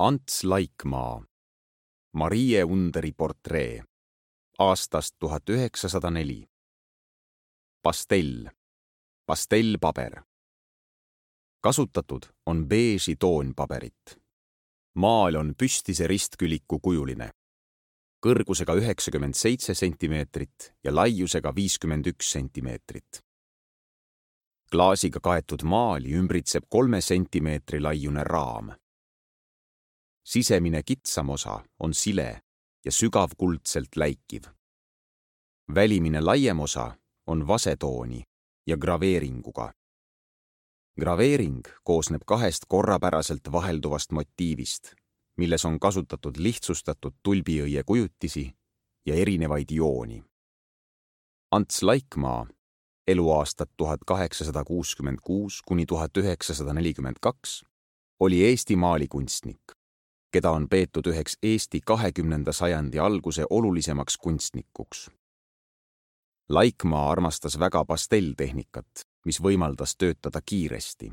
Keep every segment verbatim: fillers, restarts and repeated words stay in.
Ants Laikmaa, Marie Underi portree, aastast tuhat üheksasada neli. Pastell, pastellpaber. Kasutatud on beeži toonpaberit. Maal on püstise ristküliku kujuline, kõrgusega üheksakümmend seitse sentimeetrit ja laiusega viiskümmend üks sentimeetrit. Klaasiga kaetud maali ümbritseb kolme sentimeetri laiune raam. Sisemine kitsam osa on sile ja sügavkuldselt läikiv. Välimine laiem osa on vasetooni ja graveeringuga. Graveering koosneb kahest korrapäraselt vahelduvast motiivist, milles on kasutatud lihtsustatud tulbiõie kujutisi ja erinevaid jooni. Ants Laikmaa, eluaastad tuhat kaheksasada kuuskümmend kuus kuni tuhat üheksasada nelikümmend kaks, oli Eesti maalikunstnik, keda on peetud üheks Eesti kahekümnenda sajandi alguse olulisemaks kunstnikuks. Laikmaa armastas väga pastelltehnikat, mis võimaldas töötada kiiresti.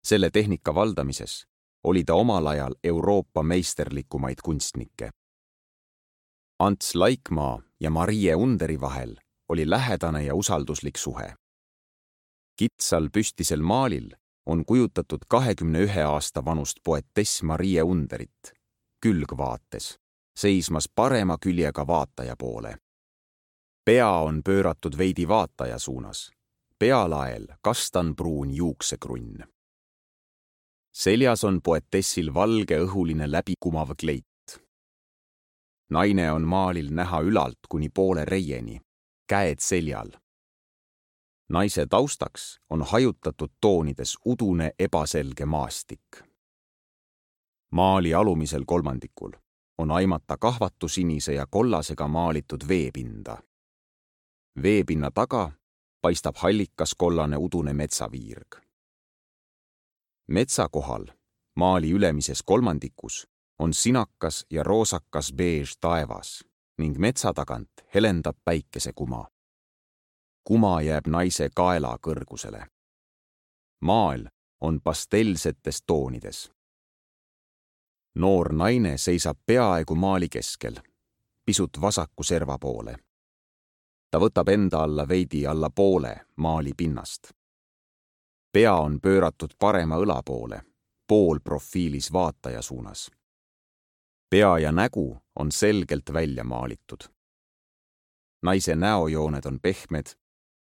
Selle tehnika valdamises oli ta omal ajal Euroopa meisterlikumaid kunstnikke. Ants Laikmaa ja Marie Underi vahel oli lähedane ja usalduslik suhe. Kitsal püstisel maalil on kujutatud kahekümne ühe aasta vanust poetess Marie Underit, külgvaates, seismas parema küljega vaataja poole. Pea on pööratud veidi vaataja suunas, pealael kastanpruun juuksekrunn. Seljas on poetessil valge õhuline läbikumav kleit. Naine on maalil näha ülalt kuni poole reieni, käed seljal. Naise taustaks on hajutatud toonides udune ebaselge maastik. Maali alumisel kolmandikul on aimata kahvatu sinise ja kollasega maalitud veepinda. Veepinna taga paistab hallikas kollane udune metsaviirg. Metsa kohal, maali ülemises kolmandikus, on sinakas ja roosakas beež taevas ning metsa tagant helendab päikesekuma. Kuma jääb naise kaela kõrgusele. Maal on pastellsetes toonides. Noor naine seisab peaaegu maali keskel, pisut vasaku serva poole. Ta võtab enda alla veidi alla poole maali pinnast. Pea on pööratud parema õla poole, pool profiilis vaataja suunas. Pea ja nägu on selgelt välja maalitud. Naise näojooned on pehmed,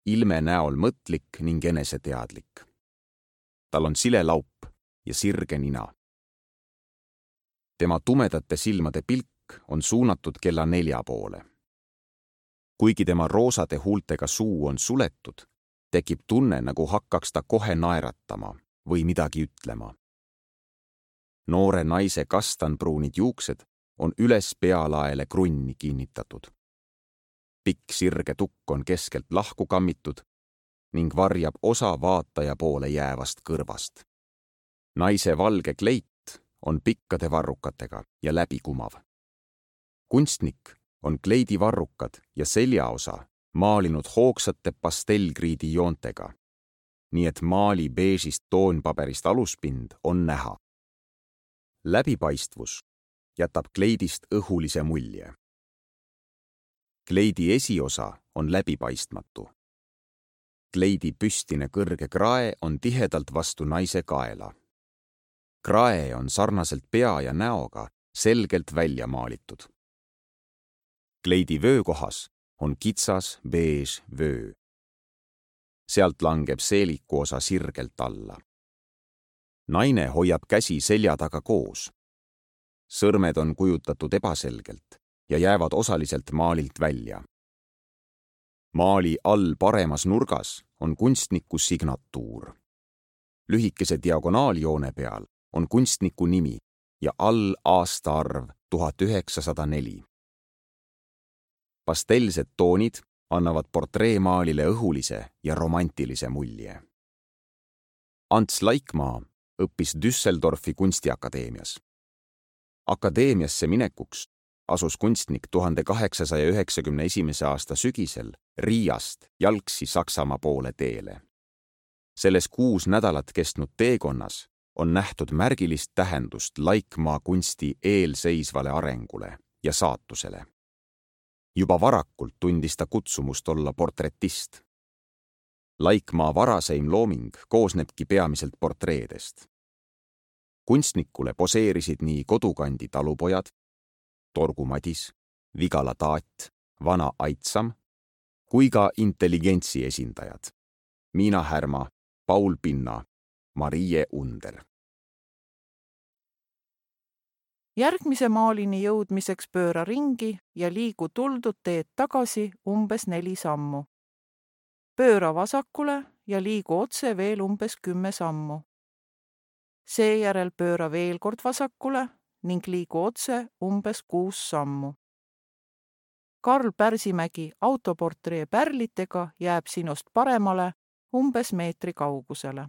ilme näol mõtlik ning eneseteadlik. Tal on sile laup ja sirge nina. Tema tumedate silmade pilk on suunatud kella nelja poole. Kuigi tema roosade huultega suu on suletud, tekib tunne, nagu hakkaks ta kohe naeratama või midagi ütlema. Noore naise kastanpruunid juuksed on üles pealaele krunni kinnitatud. Pikk sirge tukk on keskelt lahku kammitud ning varjab osa vaataja poole jäävast kõrvast. Naise valge kleit on pikkade varrukatega ja läbikumav. Kunstnik on kleidivarrukad ja seljaosa maalinud hoogsate pastellkriidi joontega, nii et maali beežist toonpaberist aluspind on näha. Läbipaistvus jätab kleidist õhulise mulje. Kleidi esiosa on läbipaistmatu. Kleidi püstine kõrge krae on tihedalt vastu naise kaela. Krae on sarnaselt pea ja näoga selgelt välja maalitud. Kleidi vöökohas on kitsas beež vöö. Sealt langeb seeliku osa sirgelt alla. Naine hoiab käsi selja taga koos. Sõrmed on kujutatud ebaselgelt ja jäävad osaliselt maalilt välja. Maali all paremas nurgas on kunstniku signatuur. Lühikese diagonaaljoone peal on kunstniku nimi ja all aastaarv tuhat üheksasada neli. Pastellsed toonid annavad portreemaalile õhulise ja romantilise mulje. Ants Laikmaa õppis Düsseldorfi kunstiakadeemias. Akadeemiasse minekuks asus kunstnik tuhande kaheksasaja üheksakümne esimese aasta sügisel Riiast jalgsi Saksamaa poole teele. Selles kuus nädalat kestnud teekonnas on nähtud märgilist tähendust Laikmaa kunsti eelseisvale arengule ja saatusele. Juba varakult tundis ta kutsumust olla portretist. Laikmaa varaseim looming koosnebki peamiselt portreedest. Kunstnikule poseerisid nii kodukandi talupojad, Torgu Madis, Vigala Taat, Vana Aitsam, kui ka intelligentsi esindajad, Miina Härma, Paul Pinna, Marie Under. Järgmise maalini jõudmiseks pööra ringi ja liigu tuldud teed tagasi umbes neli sammu. Pööra vasakule ja liigu otse veel umbes kümme sammu. Seejärel pööra veel kord vasakule ning liigu otse umbes kuus sammu. Karl Pärsimägi autoportree pärlitega jääb sinust paremale umbes meetri kaugusele.